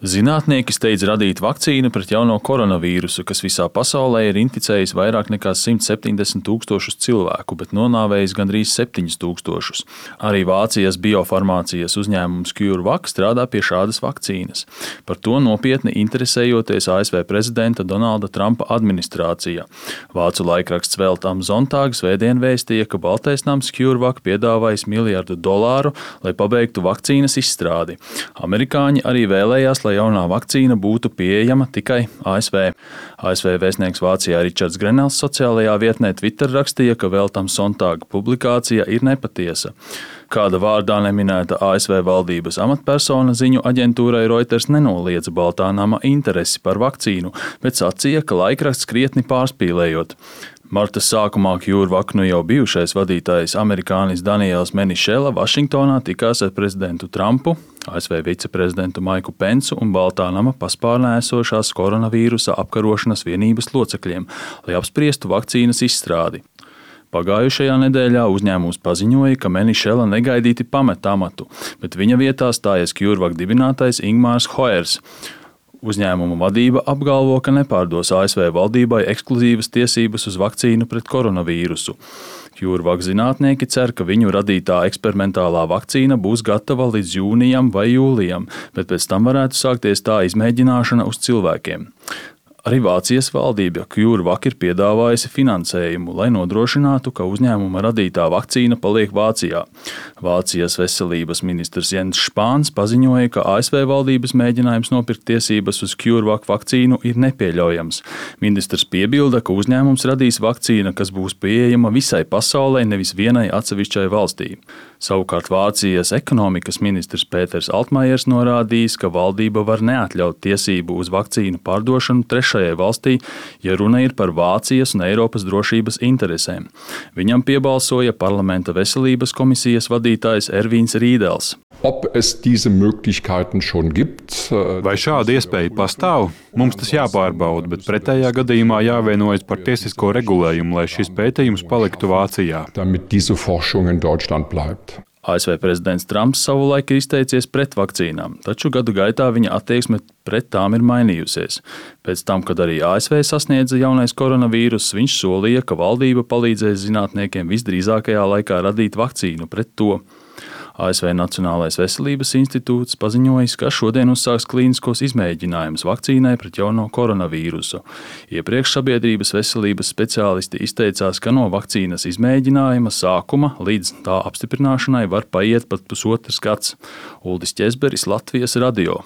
Zinātnieki steidz radīt vakcīnu pret jauno koronavīrusu, kas visā pasaulē ir inficējis vairāk nekā 170 000 cilvēku, bet nonāvējis gandrīz 7 000. Arī Vācijas biofarmācijas uzņēmums CureVac strādā pie šādas vakcīnas. Par to nopietni interesējoties ASV prezidenta Donalda Trumpa administrācija. Vācu laikraksts Welt am Sonntag svētdien vēstīja, ka Baltais nams CureVac piedāvājis $1 miljardu, lai pabeigtu vakcīnas izstrādi. Amerikāņi arī vēlējās, lai jaunā vakcīna būtu pieejama tikai ASV. ASV vēstnieks Vācijā Ričards Grenels sociālajā vietnē Twitter rakstīja, ka Welt am Sonntag publikācija ir nepatiesa. Kāda vārdā neminēta ASV valdības amatpersona ziņu aģentūrai Reuters nenoliedza Baltā nama interesi par vakcīnu, bet sacīja, ka laikraksts krietni pārspīlējot. Marta sākumā CureVac jau bijušais vadītājs amerikānis Daniels Menišela Vašingtonā tikās ar prezidentu Trumpu, ASV viceprezidentu Maiku Pensu un Baltā nama paspārnē esošās koronavīrusa apkarošanas vienības locekļiem, lai apspriestu vakcīnas izstrādi. Pagājušajā nedēļā uzņēmums paziņoja, ka Menišela negaidīti pamet amatu, bet viņa vietā stājas CureVac dibinātais Ingmārs Hoers. Uzņēmuma vadība apgalvo, ka nepārdos ASV valdībai ekskluzīvas tiesības uz vakcīnu pret koronavīrusu. CureVac zinātnieki cer, ka viņu radītā eksperimentālā vakcīna būs gatava līdz jūnijam vai jūlijam, bet pēc tam varētu sākties tā izmēģināšana uz cilvēkiem. Arī Vācijas valdība CureVac ir piedāvājusi finansējumu, lai nodrošinātu, ka uzņēmuma radītā vakcīna paliek Vācijā. Vācijas veselības ministrs Jens Spāns paziņoja, ka ASV valdības mēģinājums nopirkt tiesības uz CureVac vakcīnu ir nepieļaujams. Ministrs piebilda, ka uzņēmums radīs vakcīnu, kas būs pieejama visai pasaulē, nevis vienai atsevišķai valstī. Savukārt Vācijas ekonomikas ministrs Pēters Altmaiers norādījis, ka valdība var neatļaut tiesību uz vakcīnu pārdošanu trešajai valstī, ja runa ir par Vācijas un Eiropas drošības interesēm. Viņam piebalsoja parlamenta veselības komisijas vadītājs Ervīns Rīdels. Vai šāda iespēja pastāv? Mums tas jāpārbauda, bet pretējā gadījumā jāvienojas par tiesisko regulējumu, lai šis pētījums paliktu Vācijā. ASV prezidents Trumps savulaik ir izteicies pret vakcīnām, taču gadu gaitā viņa attieksme pret tām ir mainījusies. Pēc tam, kad arī ASV sasniedza jaunais koronavīruss, viņš solīja, ka valdība palīdzēs zinātniekiem visdrīzākajā laikā radīt vakcīnu pret to. ASV Nacionālais veselības institūts paziņojis, ka šodien uzsāks klīniskos izmēģinājumus vakcīnai pret jauno koronavīrusu. Iepriekš sabiedrības veselības speciālisti izteicās, ka no vakcīnas izmēģinājuma sākuma līdz tā apstiprināšanai var paiet pat pusotrs gads. Uldis Ķezberis, Latvijas radio.